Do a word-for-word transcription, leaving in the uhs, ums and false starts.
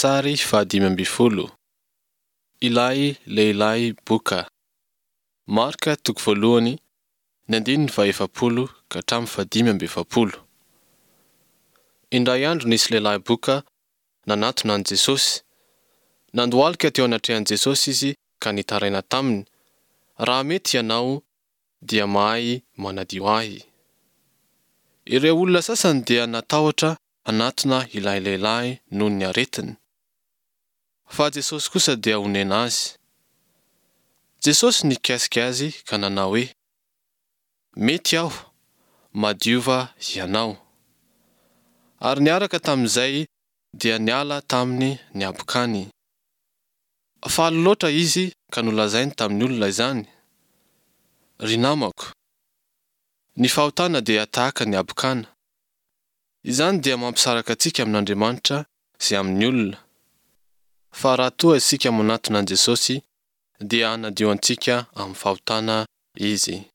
Sary fahadimy ambin'ny folo. Ilay lehilahy boka. Marka toko voalohany, ny andininy fahefapolo ka hatramin'ny fahadimy amby efapolo. Indray andro nisy lehilahy boka nanatona an'i Jesosy. Nandohalika teo anatrehan'i Jesosy izy ka nitaraina taminy: "Raha mety Hianao, dia mahay manadio ahy." Ireo olona sasany dia natahotra hanatona ilay lehilahy noho ny aretiny. Fa Jesosy kosa dia onena azy. Jesosy nikasika azy ka nanao hoe: "Mety Aho, madiova hianao." Ary niaraka tamin'izay dia niala taminy ny habokany. Faly loatra izy ka nolazainy tamin'ny olona izany. Ry namako, ny fahotana dia tahaka ny habokana. Izany dia mampisaraka antsika amin'Andriamanitra sy amin'ny olona. Fa raha toa isika manatona an'i Jesosy dia hanadio antsika amin'ny fahotana Izy.